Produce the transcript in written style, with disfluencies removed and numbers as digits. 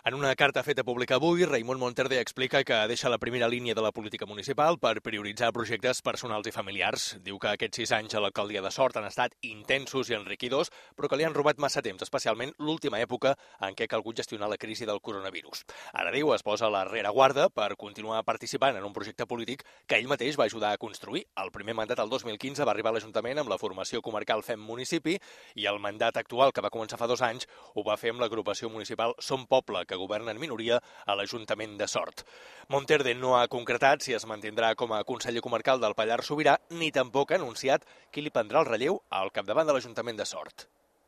En una carta feta pública avui, Raimon Monterde explica que deixa la primera línia de la política municipal per prioritzar projectes personals i familiars. Diu que aquests 6 anys a l'alcaldia de Sort han estat intensos i enriquidors, però que li han robat massa temps, especialment l'última època en què ha calgut gestionar la crisi del coronavirus. Ara, diu, es posa a la rereguarda per continuar participant en un projecte polític que ell mateix va ajudar a construir. El primer mandat, el 2015, va arribar a l'Ajuntament amb la formació comarcal Fem Municipi i el mandat actual, que va començar fa 2 anys, ho va fer amb l'agrupació municipal Som Poble, que governa en minoria a l'Ajuntament de Sort. Monterde no ha concretat si es mantindrà com a conseller comarcal del Pallars Sobirà, ni tampoc ha anunciat qui li prendrà el relleu al capdavant de l'Ajuntament de Sort.